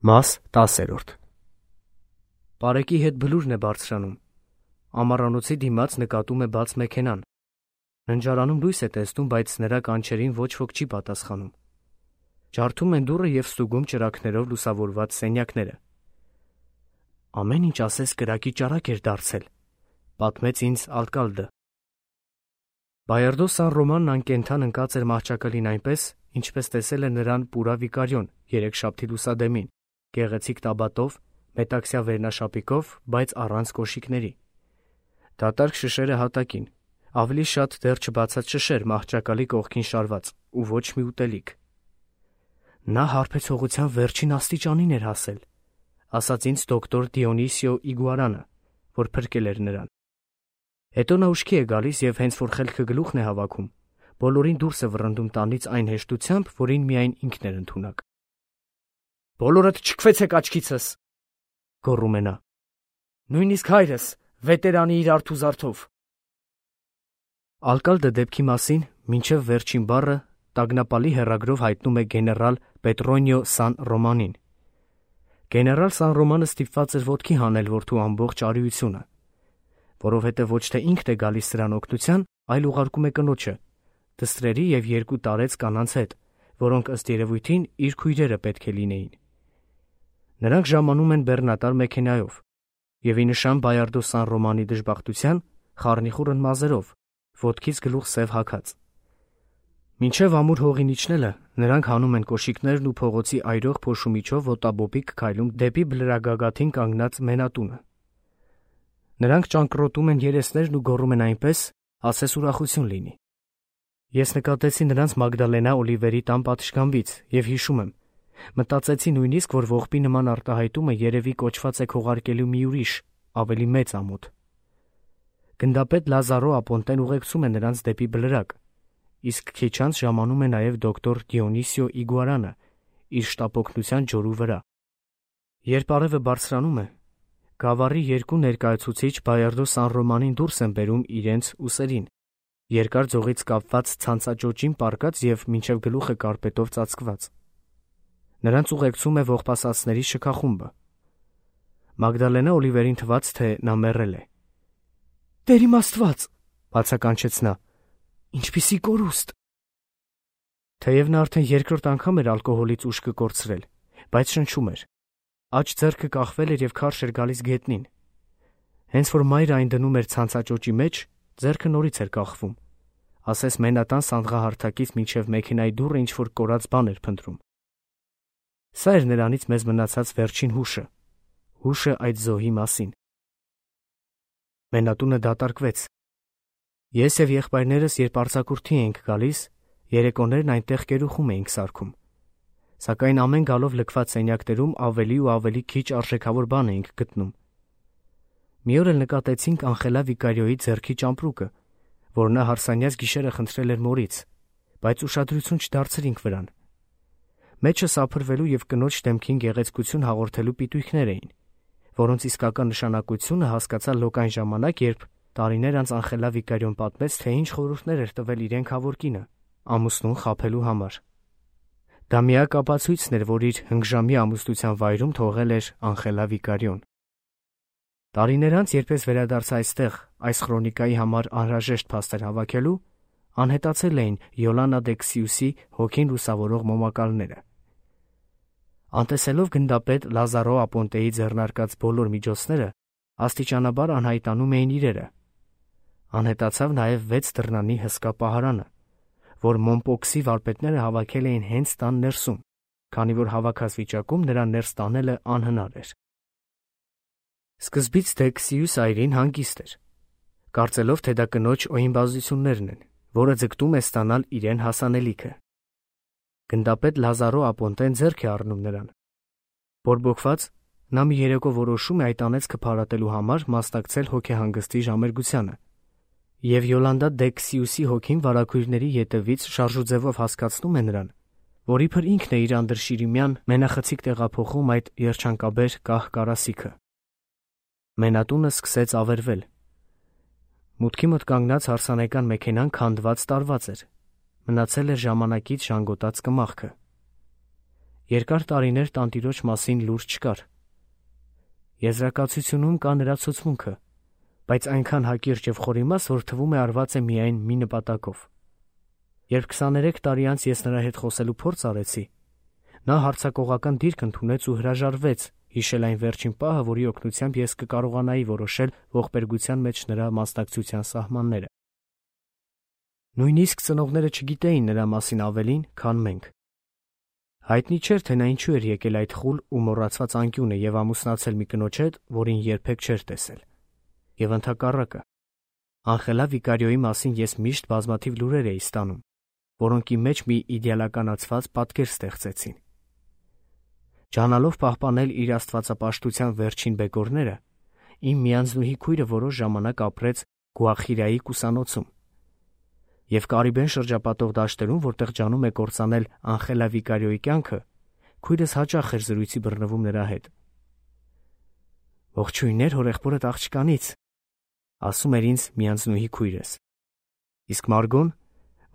Մաս 10. Պարեկի հետ բլուրն է բարձրանում։ Ամառանոցի դիմաց նկատում է բաց մեքենան։ Ննջարանում լույս է տեսնում, բայց նրա կանչերին ոչ ոք չի պատասխանում։ Ջարդում են դուռը և ստուգում ճրագներով լուսավորված սենյակները։ Ամեն ինչ ասես կրակի ճարակ էր դարձել, պատմեց ինձ Ալկալդը։ Բայարդո Սան Ռոմանն անկենդան ընկած էր մահճակալին այնպես, ինչպես տեսել է նրան Պուրա Վիկարիոն երեքշաբթի լուսադեմին, գեղեցիկ տաբատով, մետաքսյա վերնաշապիկով, բայց առանց կոշիկների։ Դատարկ շշերը հատակին, ավելի շատ դեռ չբացած շշեր մահճակալի կողքին շարված ու ոչ մի ուտելիք։ Նա հարբեցողության վերջին աստիճանին էր հասել, ասաց ինձ դոկտոր Դիոնիսիո Իգուարանը, որ փրկել էր նրան։ Հետո նա ուշքի է գալիս և հենց որ խելքը գլուխն է հավաքում, բոլորին դուրս է վռնդում տանից այն հեշտությամբ, որին միայն ինքն էր ընդունակ։ «Բոլորդ չքվեցեք աչքիցս», գոռում է նա։ «Նույնիսկ հայրս, վետերանի իր արթուզարդով»։ Ալկալդը դեպքի մասին մինչև վերջին բառը տագնապալի հեռագրով հայտնում է գեներալ Պետրոնիո Սան Ռոմանին։ Գեներալ Սան Ռոմանը ստիպված էր ոտքի հանել որդու ամբողջ արիությունը, որովհետև ոչ թե ինքն է գալիս սրան օգնության, այլ ուղարկում է կնոջը, դստրերի և 2 տարեց կանանց հետ, որոնք ըստ երևույթին իր քույրերը պետք է լինեին։ Նրանք ժամանում են բեռնատար մեքենայով և ի նշան Բայարդո Սան Ռոմանի դժբախտության խառնիխուռն մազերով, ոտքից գլուխ սև հագած։ Մինչև ամուր հողին իջնելը նրանք հանում են կոշիկներն ու փողոցի այրող փոշու միջով ոտաբոբիկ քայլում դեպի բլրագագաթին կանգնած մենատունը։ Նրանք ճանկռոտում են երեսներն ու գոռում են այնպես, ասես ուրախություն լինի։ Ես նկատեցի նրանց Մագդալենա Օլիվերի տան պատշգամբից և հիշում եմ, մտածեցի նույնիսկ, որ ողբի նման արտահայտումը երևի կոչված է քողարկելու մի ուրիշ, ավելի մեծ ամոթ։ Գնդապետ Լազարո Ապոնտեն ուղեկցում է նրանց դեպի բլրակ, իսկ քիչ անց ժամանում է նաև դոկտոր Դիոնիսիո Իգուարանը իր շտապօգնության ջորու վրա։ Երբ արևը բարձրանում է, գավառի 2 ներկայացուցիչ Բայարդո Սան Ռոմանին դուրս են բերում իրենց ուսերին, երկար ձողից կապված ցանցաճոճին պառկած և մինչև գլուխը կարպետով ծածկված։ Նրանց ուղեկցում է ողբասացների շքախումբը։ Մագդալենա Օլիվերին թվաց, թե նա մեռել է։ «Տեր իմ Աստված», բացականչեց նա, «ինչպիսի կորուստ»։ Թեև նա արդեն երկրորդ անգամ էր ալկոհոլից ուշքը կորցրել, բայց շնչում էր։ Աջ ձեռքը կախվել էր և քարշ էր գալիս գետնին։ Հենց որ մայրը այն դնում էր ցանցաճոճի մեջ, ձեռքը նորից էր կախվում, ասես մենատան սանդղահարթակից մինչև մեքենայի դուռը ինչ-որ կորած բան էր փնտրում։ Սա էր նրանից մեզ մնացած վերջին հուշը այդ զոհի մասին։ Մենատունը դատարկվեց։ Ես և եղբայրներս, երբ արձակուրդի էինք գալիս, երեկոներն այնտեղ կերուխում էինք սարքում, սակայն ամեն գալով լքված սենյակներում ավելի ու ավելի քիչ արժեքավոր բան էինք գտնում։ Մի օր էլ նկատեցինք Անխելա Վիկարիոյի ձեռքի ճամպրուկը, որ նա հարսանյաց գիշերը խնդրել էր մորից, բայց ուշադրություն չդարձրինք վրան։ Մեջը սափրվելու և կնոջ դեմքին գեղեցկություն հաղորդելու պիտույքներ էին, որոնց իսկական նշանակությունը հասկացա լոկ այն ժամանակ, երբ տարիներ անց Անխելա Վիկարիոն պատմեց, թե ինչ խորհուրդներ էր տվել իրեն քավոր կինը ամուսնուն խաբելու համար։ Դա միակ ապացույցն էր, որ իր հնգժամյա ամուսնության վայրում թողել էր Անխելա Վիկարիոն։ Տարիներ անց, երբ ես վերադարձա այստեղ այս խրոնիկայի համար անհրաժեշտ փաստեր հավաքելու, անհետացել էին Յոլանա դե Քսիուսի հոգին լուսավորող մոմակալները։ Անտեսելով գնդապետ Լազարո Ապոնտեի ձեռնարկած բոլոր միջոցները, աստիճանաբար անհայտանում էին իրերը։ Անհետացավ նաև 6 դռնանի հսկա պահարանը, որ Մոնպոքսի վարպետները հավաքել էին հենց տան ներսում, քանի որ հավաքած վիճակում նրան ներս տանելը անհնար էր։ Սկզբից դե Քսիուս այրին հանգիստ էր, կարծելով, թե դա կնոջ օյնբազություններն են, որը ձգտում է ստանալ իրեն հասանելիքը։ Գնդապետ Լազարո Ապոնտեն ձեռք է առնում նրան։ Բորբոքված, նա մի երեկո որոշում է այդ անեծքը փարատելու համար մասնակցել հոգեհանգստի ժամերգությանը, և Յոլանդա դե Քսիուսի հոգին վարագույրների ետևից շարժուձևով հասկացնում է նրան, որ իբր ինքն է իր անդրշիրիմյան մենախցիկ տեղափոխում այդ երջանկաբեր կահ կարասիքը։ Մենատունը սկսեց ավերվել։ Մուտքի մոտ կանգնած հարսանեկան մեքենան քանդված տարված էր, մնացել էր ժամանակից ժանգոտած կմախքը։ Երկար տարիներ տանտիրոջ մասին լուր չկար։ Եզրակացությունում կա նրա ցուցմունքը, բայց այնքան հակիրճ եւ խորիմաս, որ թվում է արված է միայն մի նպատակով։ Երբ 23 տարի անց ես նրա հետ խոսելու փորձ արեցի, նա հարձակողական դիրք ընդունեց ու հրաժարվեց հիշել այն վերջին պահը, որի օգնությամբ ես կկարողանայի որոշել ողբերգության մեջ նրա մասնակցության սահմանները։ Նույնիսկ ծնողները չգիտեին նրա մասին ավելին, քան մենք։ Հայտնի չէր, թե նա ինչու էր եկել այդ խուլ ու մոռացված անկյունը եւ ամուսնացել մի կնոջ հետ, որին երբեք չէր տեսել։ Եվ ընդհակառակը, Անխելա Վիկարիոյի մասին ես միշտ բազմաթիվ լուրեր էի ստանում, որոնքի մեջ մի իդեալականացված պատկեր ստեղծեցին։ Ջանալով պահպանել իր աստվածապաշտության վերջին բեկորները, իմ միանձնուհի քույրը որոշ ժամանակ ապրեց Գուախիրայի կուսանոցում եւ Կարիբեն շրջապատող դաշտերում, որտեղ ջանում է կործանել Անխելա Վիկարիոյի կյանքը, քույրս հաճախ էր զրույցի բռնվում նրա հետ։ «Ողջույններ հորեղբորդ աղջկանից», ասում էր ինձ միանձնուհի քույրս։ Իսկ Մարգոն,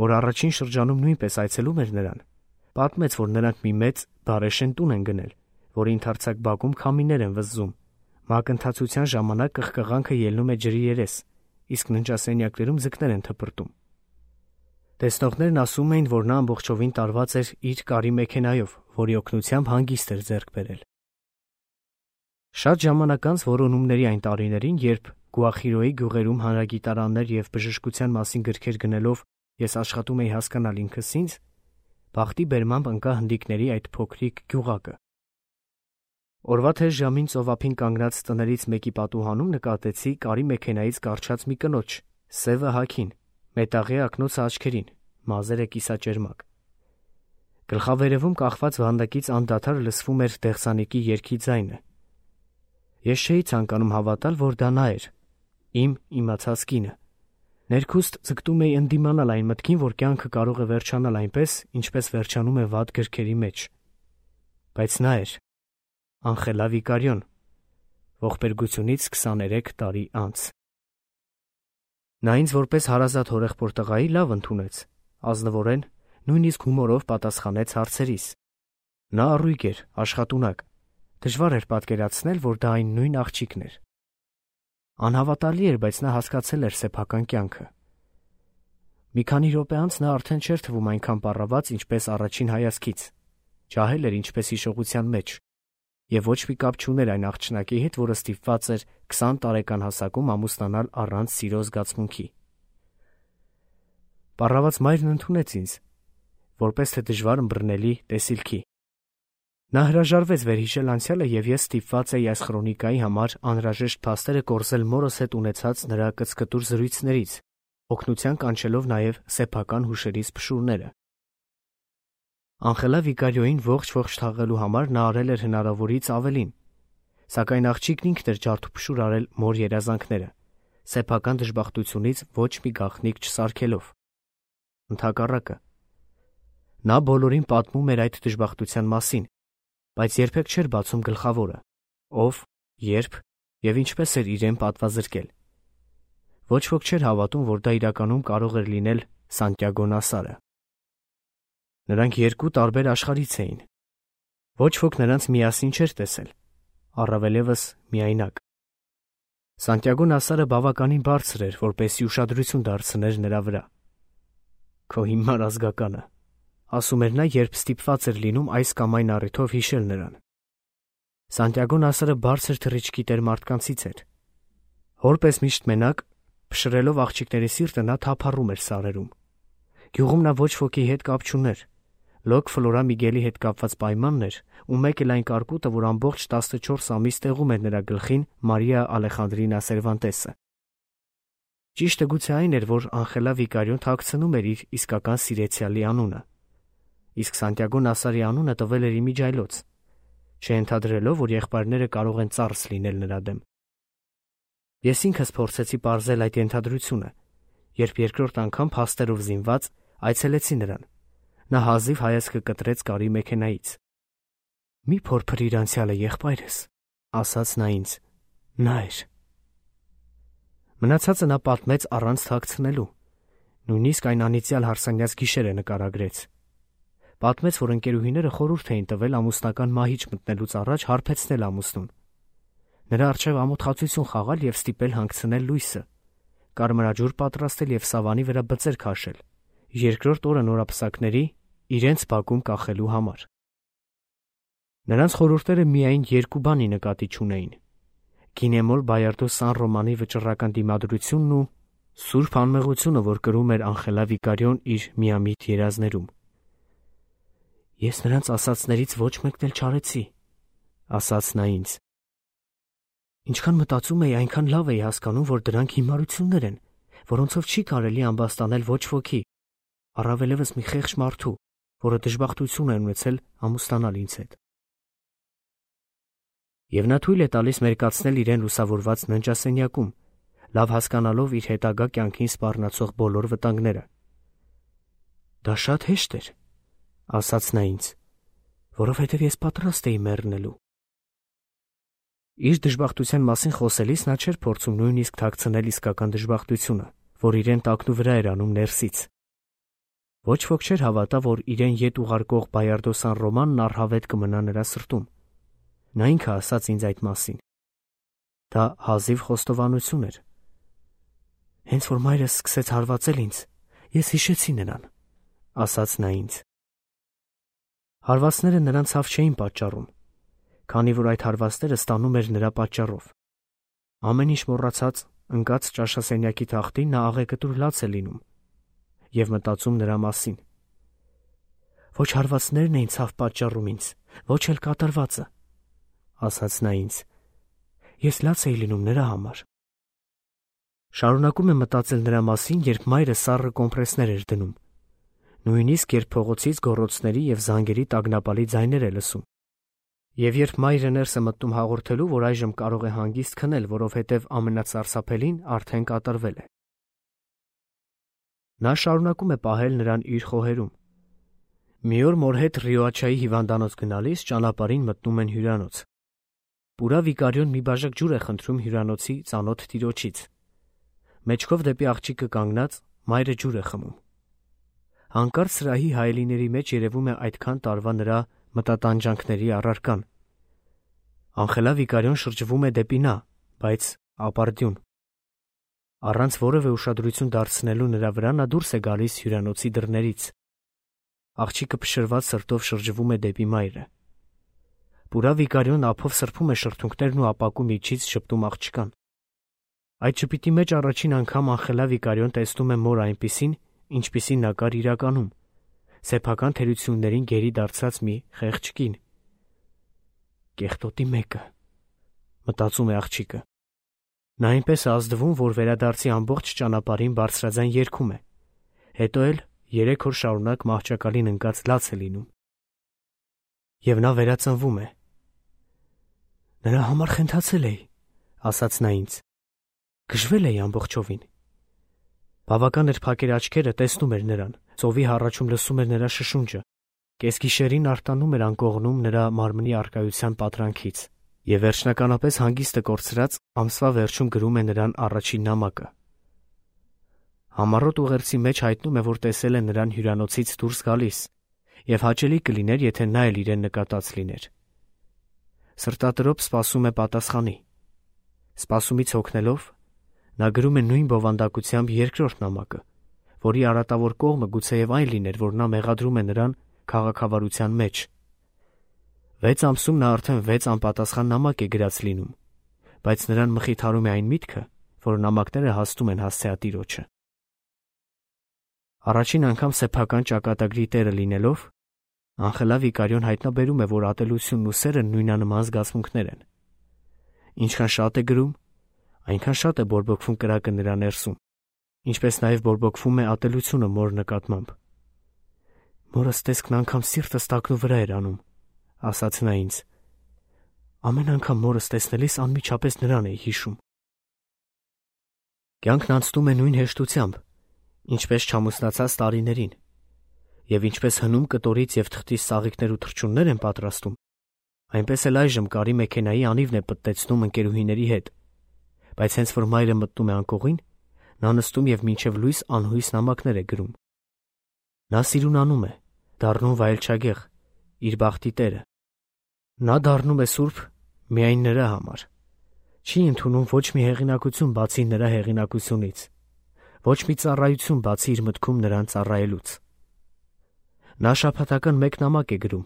որ առաջին շրջանում նույնպես այցելում էր նրան, պատմեց, որ նրանք մի մեծ բարեշեն տուն են գնել, որի ընդարձակ բակում քամիներ են վզզում, մակընթացության ժամանակ կղկղանքը ելնում է ջրի երես, իսկ ննջասենյակներում ձկներ են թպրտում։ Տեսնողներն ասում էին, որ նա ամբողջովին տարված էր իր կարի մեքենայով, որի օգնությամբ հանգիստ էր ձեռք բերել։ Շատ ժամանակ անց որոնումների այն տարիներին, երբ Գուախիրոյի գյուղերում հանրագիտարաններ եւ բժշկության մասին գրքեր գնելով ես աշխատում էի հասկանալ ինքս ինձ, բախտի բերմամբ ընկա հնդիկների այդ փոքրիկ գյուղակը։ Օրվա թեժ ժամին ծովափին կանգնած տներից մեկի պատուհանում նկատեցի կարի մեքենայից կառչած մի կնոջ, սևը հագին, մետաղե ակնոցը աչքերին, մազերը կիսաճերմակ։ Գլխավերևում կախված վանդակից անդադար լսվում էր դեղսանիկի երգի ձայնը։ Ես չէի ցանկանում հավատալ, որ դա նա էր, իմ իմացած կինը։ Ներքուստ ձգտում էի ընդդիմանալ այն մտքին, որ կյանքը կարող է վերջանալ այնպես, ինչպես վերջանում է վատ գրքերի մեջ։ Բայց նա էր Անխելա Վիկարիոն, ողբերգությունից 23 տարի անց։ Նա ինձ որպես հարազատ հորեղբոր տղայի լավ ընդունեց, ազնվորեն, նույնիսկ հումորով պատասխանեց հարցերիս։ Նա առույգ էր, աշխատունակ։ Դժվար էր պատկերացնել, որ դա այն նույն աղջիկն էր։ Անհավատալի էր, բայց նա հասկացել էր սեփական կյանքը։ Մի քանի րոպե անց նա արդեն չէր թվում այնքան պառաված, ինչպես առաջին հայացքից։ Ջահել էր ինչպես հիշողության մեջ, եւ ոչ մի կապ չուներ այն աղջնակի հետ, որը ստիպված էր 20 տարեկան հասակում ամուսնանալ առանց սիրո զգացմունքի։ Պառաված մայրն ընդունեց ինձ, որպես թե դժվար ըմբռնելի տեսիլքի։ Նա հրաժարվեց վերհիշել անցյալը, եւ ես ստիպված էի այս քրոնիկայի համար անհրաժեշտ փաստերը կորզել մորս հետ ունեցած նրա կծկտուր զրույցներից, օգնության կանչելով նաեւ սեփական հուշերից փշուրները։ Անխելա Վիկարիոյին ողջ թաղելու համար նա արել էր հնարավորից ավելին, սակայն աղջիկն ինքն էր ջարդուփշուր արել մոր երազանքները, սեփական դժբախտությունից ոչ մի գաղտնիք չսարքելով։ Ընդհակառակը, նա բոլորին պատմում էր այդ դժբախտության մասին, բայց երբեք չէր բացում գլխավորը, ով, երբ եւ ինչպես էր իրեն պատվազրկել։ Ոչ ոք չէր հավատում, որ դա իրականում կարող էր լինել Սանտիագո Նասարը։ Նրանք երկու տարբեր աշխարհից էին։ Ոչ ոք նրանց միասին չէր տեսել, առավելևս միայնակ։ Սանտիագո Նասարը բավականին բարձր էր, որպեսզի ուշադրություն դարձներ նրա վրա։ «Քո հիմար ազգականը», ասում էր նա, երբ ստիպված էր լինում այս կամ այն առիթով հիշել նրան։ Սանտիագո Նասարը բարձր թռիչքի տեր մարդկանցից էր։ Որպես միշտ մենակ, փշրելով աղջիկների սիրտը, նա թափառում էր սարերում։ Գյուղում նա ոչ ոքի հետ կապ չուներ։ Լոկ Ֆլորա Միգելի հետ կապված պայմանն էր, ու մեկ էլ այն կարկուտը, որ ամբողջ 14 ամիս տեղում էր նրա գլխին Մարիա Ալեխանդրինա Սերվանտեսը։ Ճիշտը գուցե այն էր, որ Անխելա Վիկարիոն թաքցնում էր իր իսկական սիրեցյալի անունը։ Իսկ Սանտիագո Նասարի անունը տվել էր իմիջայլոց, չընդհանրելով, որ եղբայրները կարող են ծառս լինել նրա դեմ։ Ես ինքս փորձեցի պարզել այդ ենթադրությունը, երբ երկրորդ անգամ փաստերով զինված այցելեցի նրան։ Նա հազիվ հայացքը կտրեց կարի մեքենայից։ «Մի փորփր իր անցյալը, եղբայրս», ասաց նա ինձ։ Նա էր։ Մնացածը նա պատմեց առանց թաքցնելու, նույնիսկ այն անիծյալ հարսանյաց գիշերը նկարագրեց։ Պատմեց, որ ընկերուհիները խորհուրդ էին տվել ամուսնական մահիճ մտնելուց առաջ հարբեցնել ամուսնուն, նրա առջև ամոթխացություն խաղալ և ստիպել հանգցնել լույսը, կարմրաջուր պատրաստել և սավանի վրա բծեր քաշել, երկրորդ օրը նորապսակների իրենց բակում կախելու համար։ Նրանց խորհուրդները միայն երկու բանի նկատի չունեին՝ Գինեմոլ Բայարդո Սան Ռոմանի վճռական դիմադրությունն ու սուրբ անմեղությունը, որ կրում էր Անխելա Վիկարիոն իր միամիտ երազներում։ «Ես նրանց ասածներից ոչ մեկն էլ չարեցի», ասաց նա ինձ։ Ինչքան մտածում էի, այնքան լավ էի հասկանում, որ դրանք հիմարություններ են, որոնցով չի կարելի ամբաստանել ոչ ոքի, առավելևս մի խեղճ մարդու, որը դժբախտություն է ունեցել ամուսնանալ ինձ հետ։ Եվ նա թույլ է տալիս մերկացնել իրեն լուսավորված ննջասենյակում, լավ հասկանալով իր հետագա կյանքին սպառնացող բոլոր վտանգները։ «Դա շատ հեշտ էր», ասաց նա ինձ, որովհետև ես պատրաստ էի մեռնելու։ Իր դժբախտության մասին խոսելիս նա չէր փորձում նույնիսկ թաքցնել իսկական դժբախտությունը, որ իրեն տակնու վրա էր անում ներսից։ Ոչ ոք չէր հավատա, որ իրեն ետ ուղարկող Բայարդո Սան Ռոմանն առհավետ կմնա նրա սրտում։ Նա ինքը ասաց ինձ այդ մասին։ Դա հազիվ խոստովանություն էր։ «Հենց որ մայրս սկսեց հարվածել ինձ, ես հիշեցի նրան», ասաց նա ինձ։ Հարվածները նրան ցավ չէին պատճառում, քանի որ այդ հարվածները ստանում էր նրա պատճառով։ Ամեն ինչ մոռացած, ընկած ճաշասենյակի թախտին նա աղեկտուր լաց է լինում և մտածում նրա մասին։ «Ոչ հարվածներն էին ցավ պատճառում ինձ, ոչ էլ կատարվածը», ասաց նա ինձ։ «Ես լաց էի լինում նրա համար»։ Շարունակում է մտածել նրա մասին, երբ մայրը սառը կոմպրեսներ էր դնում, նույնիսկ երբ փողոցից գոռոցների և զանգերի տագնապալի ձայներ է լսում, և երբ մայրը ներս է մտնում հաղորդելու, որ այժմ կարող է հանգիստ քնել, որովհետև ամենասարսափելին արդեն կատարվել է։ Նա շարունակում է պահել նրան իր խոհերում։ Մի օր մոր հետ Ռիոաչայի հիվանդանոց գնալիս ճանապարհին մտնում են հյուրանոց։ Պուրա Վիկարիոն մի բաժակ ջուր է խնդրում հյուրանոցի ծանոթ տիրոջից։ Մեջքով դեպի աղջիկը կանգնած մայրը ջուր է խմում։ Հանկարծ սրահի հայելիների մեջ երևում է այդքան տարվա նրա մտատանջանքների առարկան։ Անխելա Վիկարիոն շրջվում է դեպի նա, բայց ապարդյուն։ Առանց որևէ ուշադրություն դարձնելու նրա վրա նա դուրս է գալիս հյուրանոցի դռներից։ Աղջիկը փշրված սրտով շրջվում է դեպի մայրը։ Պուրա Վիկարիոն ափով սրբում է շրթունքներն ու ապակու միջից ժպտում աղջկան։ Այդ ժպիտի մեջ առաջին անգամ Անխելա Վիկարիոն տեսնում է մոր այնպիսին, ինչպիսին նա կար իրականում, սեփական թերություններին գերի դարձած մի խեղճ կին։ «Կեղտոտի մեկը», մտածում է աղջիկը։ Նա այնպես է ազդվում, որ վերադարձի ամբողջ ճանապարհին բարձրաձայն երգում է, հետո էլ 3 օր շարունակ մահճակալին ընկած լաց է լինում։ Եվ նա վերածնվում է։ «Նրա համար խենթացել էի», ասաց նա ինձ։ «Գժվել էի ամբողջովին»։ Բավական էր փակեր աչքերը, տեսնում էր նրան, ծովի հառաչում լսում էր նրա շշունջը, կեսգիշերին արտանում էր անկողնում նրա մարմնի առկայության պատրանքից, և վերջնականապես հանգիստը կորցրած ամսվա վերջում գրում է նրան առաջին նամակը։ Համառոտ ուղերձի մեջ հայտնում է, որ տեսել է նրան հյուրանոցից դուրս գալիս, և հաճելի կլիներ, եթե նա էլ իրեն նկատած լիներ։ Սրտատրոփ սպասում է պատասխանի։ Սպասումից հոգնելով, նա գրում է նույն բովանդակությամբ երկրորդ նամակը, որի արատավոր կողմը գուցեև այն լիներ, որ նա մեղադրում է նրան քաղաքավարության մեջ։ 6 ամսում նա արդեն 6 անպատասխան նամակ է գրած լինում, բայց նրան մխիթարում է այն միտքը, որ նամակները հասնում են հասցեատիրոջը։ Առաջին անգամ սեփական ճակատագրի տերը լինելով, Անխելա Վիկարիոն հայտնաբերում է, որ ատելությունն ու սերը նույնանման զգացմունքներ են։ Ինչքան շատ է գրում, այնքան շատ է բորբոքվում կրակը նրա ներսում, ինչպես նաև բորբոքվում է ատելությունը մոր նկատմամբ։ «Մորս տեսքն անգամ սիրտս տակնու վրա էր անում», ասաց նա ինձ։ «Ամեն անգամ մորս տեսնելիս անմիջապես նրան էի հիշում»։ Կյանքն անցնում է նույն հեշտությամբ, ինչպես չամուսնացած տարիներին, և ինչպես հնում կտորից և թղթից ծաղիկներ ու թռչուններ են պատրաստում, այնպես էլ այժմ կարի մեքենայի անիվն է պտտեցնում ընկերուհիների հետ, բայց հենց որ մայրը մտնում է անկողին, նա նստում և մինչև լույս անհույս նամակներ է գրում։ Նա սիրունանում է, դառնում վայելչագեղ, իր բախտի տերը։ Նա դառնում է սուրբ միայն նրա համար։ Չի ընդունում ոչ մի հեղինակություն բացի նրա հեղինակությունից, ոչ մի ծառայություն բացի իր մտքում նրան ծառայելուց։ Նա շաբաթական մեկ նամակ է գրում,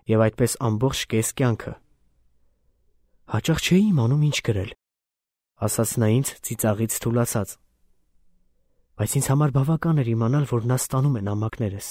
և այդպես ամբողջ կես կյանքը։ «Հաճախ չէի իմանում ինչ գրել», ասաց նա ինձ ծիծաղից թուլացած, բայց ինձ համար բավական էր իմանալ, որ նա ստանում է նամակներս։